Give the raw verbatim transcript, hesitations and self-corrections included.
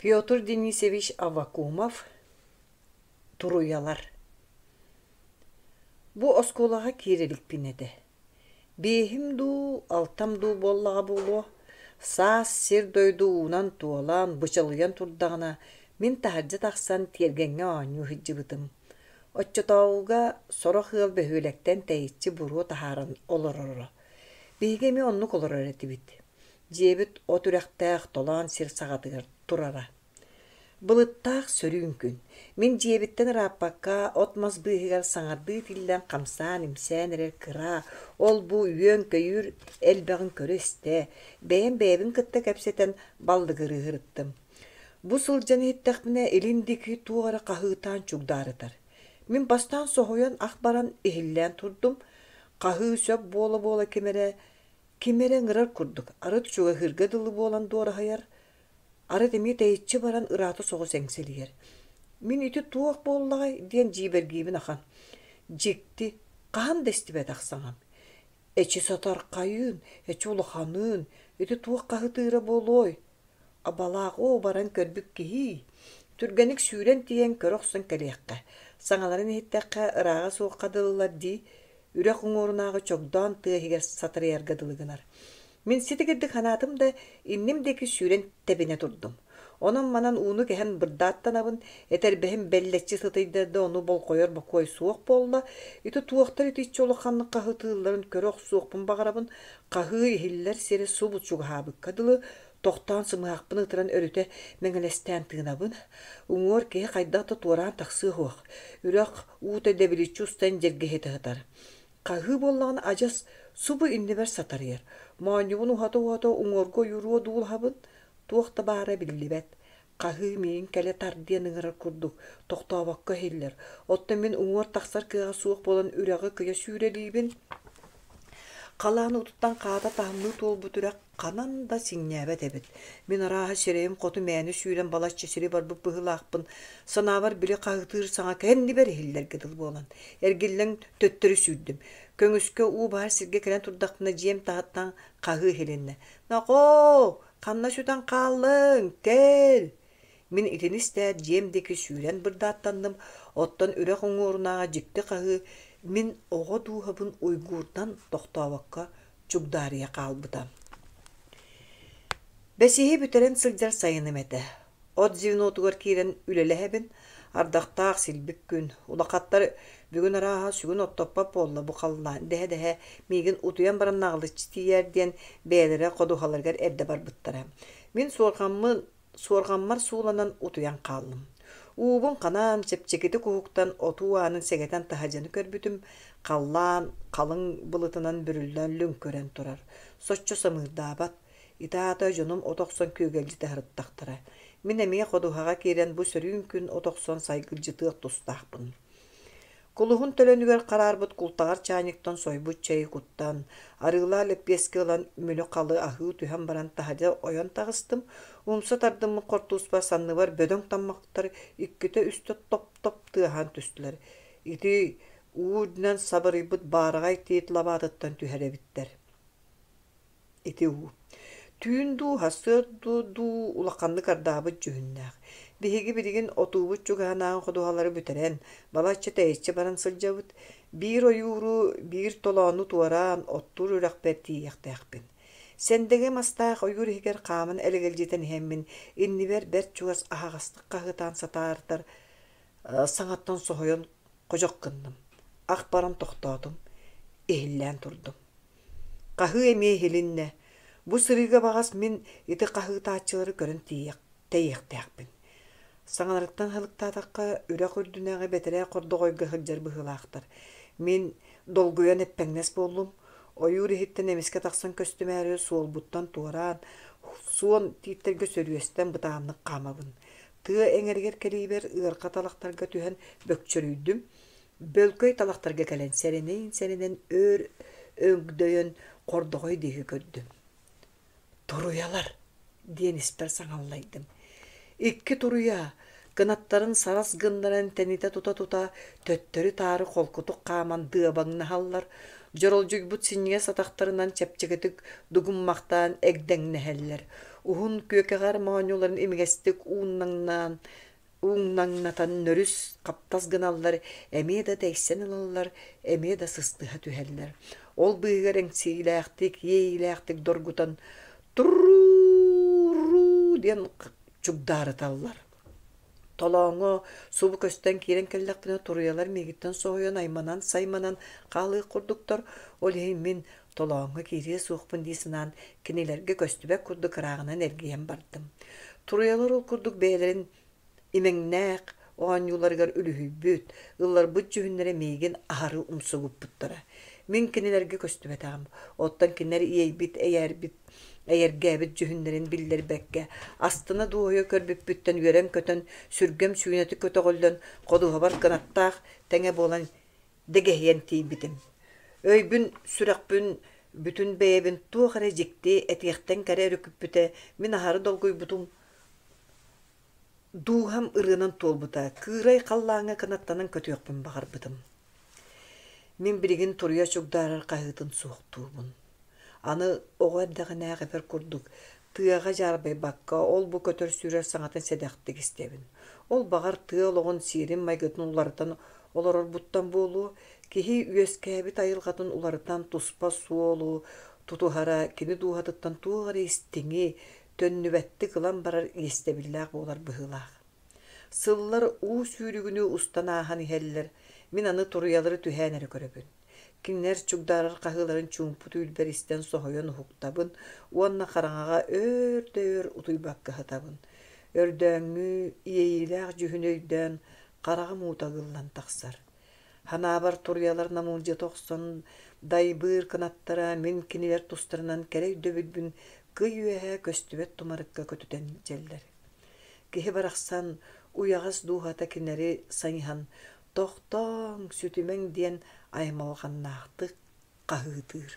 Петр Денисович Аввакумов «Туруйалар». Бу оскуолаҕа киирэ иликпин этэ. Биэһим дуу, алтам дуу буоллаҕа буолуо. Саас сир-дойду уунан туолан, бычалыйан турдаҕына, мин таһырдьа тахсан тиэргэҥҥэ оонньуу сылдьыбытым. Оччотооҕуга сорох ыал бөһүөлэктэн тэйиччи буруо таһааран олороро. Биһиги эмиэ оннук олорор этибит. Дьиэбит от үрэхтээх толоон сир саҕатыгар турара. Былыттаах сөрүүн күн. Мин дьиэбиттэн ырааппакка от-мас быыһыгар саҥардыы тиллэн хамсаан-имсээн эрэр кыра, ол-бу үөн-көйүүр элбэҕин көрө-истэ, бэйэм бэйэбин кытта кэпсэтэн баллыгырыы сырыттым. Бу сылдьан иһиттэхпинэ илин диэки туох эрэ хаһыытаан чугдаарытар. Мин бастаан соһуйан ах баран иһиллээн турдум. Хаһыы сөп буола-буола ким эрэ ким эрэ ыҥырар курдук, арыт чугаһыырга дылы буолан дуораһыйар, арыт эмиэ тэйиччи баран ыраата соҕус эҥсэлийэр. Мин ити туох буоллаҕай диэн дьиибэргиибин ахан. Дьикти, хаһан да истибэтэх саҥам. Эчи сатархайыын, эчи улаханыын, ити туох хаһытыыра буолуой? Абалаах оо баран көрбүт киһии. Түргэнник сүүрэн тиийэн көрө охсон кэлиэххэ. Саҥаларын иһиттэххэ ырааҕа суохха дылылар дии, үрэх уҥуорунааҕы чогдоон тыа иһигэр сатарыйарга дылы гынар. Мин ситигирдик санаатым да, инним диэки сүүрэн тэбинэ турдум. Онон-манан ууну кэһэн бырдааттанабын, этэрбэһим бэллэччи сытыйда да ону болҕойор бокуой суох буолла. Ити туохтар итиччэ улаханнык хаһытыылларын көрө охсуохпун баҕарабын, хаһыы иһиллэр сирэ субу чугаһаабыкка дылы, тохтоон сымыһахпын ытыран өрүтэ мэҥилэстээн тыынабын. Уҥуор киһи хайдах да туораан тахсыа суох. Үрэх уута дэбиличчи устан дьэргэһитэ сытар. Хаһыы буоллаҕына адьас субу иннибэр сатарыйар. Моонньубун уһата-уһата уҥуорга ойууруо дуулаһабын, туох да баара биллибэт. Хаһыы миигин кэлэ тар диэн ыҥырар курдук, тохтообокко иһиллэр. Оттон мин уҥуор тахсар кыаҕа суох буолан үрэҕи кыйа сүүрэлиибин. Халаан уутуттан хаата таһымныы туолбут үрэх ханан да сиҥнээбэт эбит. Мин арааһа сирэйим хоту мээнэ сүүрэн балачча сири барбыт быһыылаахпын. Санаабар били хаһыытыыр саҥа кэннибэр иһиллэргэ дылы буолан, эргиллэн төттөрү сүүрдүм. Көҥүскэ уу баһар сиргэ кэлэн турдахпына дьиэм таһыттан хаһыы иһилиннэ: «Нохоо, ханна сүтэн хааллыҥ? Кэл!» Мин итини истээт дьиэм диэки сүүрэн бырдааттанным, оттон үрэх уҥуорунааҕы дьикти хаһыы мин оҕо дууһабын уйгуурдан тохтообокко чугдаарыйа хаалбыта. Бэсиһи бүтэрэн сылдьар сайыным этэ. От звенотугар киирэн үлэлэһэбин, ардахтаах силбик күн, улахаттар бүгүн арааһа сүгүн оттоппот буолла бу халлаан дэһэ-дэһэ миигин утуйан баран наҕылыччы тиийээр диэн бэйэлэрэ ходуһаларыгар эрдэ барбыттара. Мин суорҕаммын суорҕаммар сууланан утуйан хааллым. Уубун ханаан, чэпчэкитик уһуктан отуу аанын сэгэтэн таһырдьаны көрбүтүм, халлаан халыҥ былытынан бүрүллэн лүҥкүрэн турар, соччо самыырдаабат. Ити аата дьонум от охсон күөгэлдьитэ сырыттахтара. Мин эмиэ ходуһаҕа киирэн бу сөрүүн күн от охсон сайгылдьытыах тустаахпын. Кулуһун төлөнүгэр хараарбыт култаҕар чаанньыктан сойбут чэйи куттан, арыылаах лэппиэскэ ылан мүлү-халы аһыы түһэн баран таһырдьа ойон таҕыстым. Умса тардыммыт хортууспар санныбар бөдөҥ таммахтар иккитэ-үстэ топ-топ тыаһаан түстүлэр. Ити уу үрдүнэн сабырыйбыт баараҕай тиит лабаатыттан түһэр эбиттэр. Ити уу. Түүн дуу, сарсыарда дуу улаханнык ардаабыт дьүһүннээх. Биһиги билигин отуубут чугаһынааҕы ходуһалары бүтэрэн, балачча тэйиччи баран сылдьабыт. Биир ойууру, биир толоону туораан, оттуур үрэхпэр тиийиэхтээхпин. Сэндэҥэ мастаах ойуур иһигэр хааман элэгэлдьитэн иһэммин, иннибэр бэрт чугас аһаҕастык хаһыытаан сатаартар саҥаттан соһуйан ходьох гынным. Ах баран тохтоотум, иһиллээн турдум. Хаһыы эмиэ иһилиннэ. Бу сырыыга баҕас мин ити хаһыытааччылары көрөн тиийиэх тэйиэхтээхпин. Саҥаларыттан сылыктаатахха, үрэх үрдүнээҕи бэтэрээ хордоҕойго сылдьар быһыылаахтар. Мин долгуйан эппэҥнэс буоллум. Ойуур иһиттэн эмискэ тахсан көстүмээри суолбуттан туораан, суон тииттэргэ сөрүөстэн бытааннык хаамабын. Тыа эҥэригэр кэлиибэр ыарха талахтарга түһэн бөкчөрүйдүм. Бөлкөй талахтарга кэлэн сэрэнэн-сэрэнэн өр өҥдөйөн хордоҕой диэки көрдүм. «Туруйалар!» диэн испэр саҥаллайдым. Икки туруйа, кынаттарын сарас гыннаран тэнитэ тута-тута, төттөрү-таары холкутук хааман дыабаҥнаһаллар, дьоролдьуйбут синньигэс атахтарынан чэпчэкитик дугуммахтаан эгдэҥнэһэллэр. Уһун күөкэҕэр моонньуларын имигэстик ууннаҥнаан ууҥнаҥнатан нөрүс хаптас гыналлар, эмиэ да тэйсэн ылаллар, эмиэ да сыстыһа түһэллэр. Ол быыһыгар эҥсиилээхтик, иэйиилээхтик доргутан «туруу-руу» диэн чугдаарыталлар. Толооҥҥо субу көстөн киирэн кэллэхпинэ туруйалар миигиттэн соһуйан айманан-сайманан хаалыах курдуктар, ол иһин мин толооҥҥо киириэ суохпун дии санаан кинилэргэ көстүбэт курдук ырааҕынан эргийэн бардым. Туруйалар ол курдук бэйэлэрин имэҥнээх оонньууларыгар үлүһүйбүт, ылларбыт дьүһүннэрэ миигин аһары умсугуппуттара. Мин кинилэргэ көстүбэтэҕим, оттон кинилэр иэйбит, эйээрбит, эйэргээбит дьүһүннэрин биллэрбэккэ, астына дуоһуйа көрбүппүттэн үөрэн-көтөн, сүргэм сүүнэтик көтөҕүллэн, ходуһабар кынаттаах тэҥэ буолан дэгэһийэн тиийбитим. Өйбүн, сүрэхпин, бүтүн бэйэбин туох эрэ дьикти, этиэхтэн кэрэ өрүкүппүтэ, мин аһары долгуйбутум Дууһам ырыанан туолбута, кыырай халлааҥҥа кынаттанан көтүөхпүн баҕарбытым. Мин билигин туруйа чугдаарар хаһыытын суохтуубун. Аны оҕо эрдэҕинээҕи курдук тыаҕа дьаарбайбакка, ол-бу көтөр-сүүрэр саҥатын сэдэхтик истэбин. Ол баҕар тыа олоҕун сиэрин-майгытын уларытан олорорбуттан буолуо, киһи үөскээбит айылҕатын уларытан туспа суолу тутуһара кини дууһатыттан туох эрэ истиҥи, төннүбэттик ылан барар иэстэбиллээх буолар быһыылаах. Сыллар уу сүүрүгүнүү устан ааһан иһэллэр, мин аны туруйалары түһээн эрэ көрөбүн. Кинилэр чугдаарар хаһыыларын чуумпу түүлбэр истэн соһуйан уһуктабын уонна хараҥаҕа өөр да өр утуйбакка сытабын. Өрдөөҥҥү иэйиилээх дьүһүнү өйдөөн хараҕым уута ыгыллан тахсар. Ханаабар туруйалар намылдьыта охсон дайбыыр кынаттара мин кинилэр тустарынан кэрэ өйдөбүлбүн кый үөһэ көстүбэт тумарыкка көтүтэн илдьэллэр. Киһи барахсан уйаҕас дууһата кинилэри сайыһан «тохтооҥ, сүтүмэҥ» диэн аймалҕаннаахтык хаһыытыыр.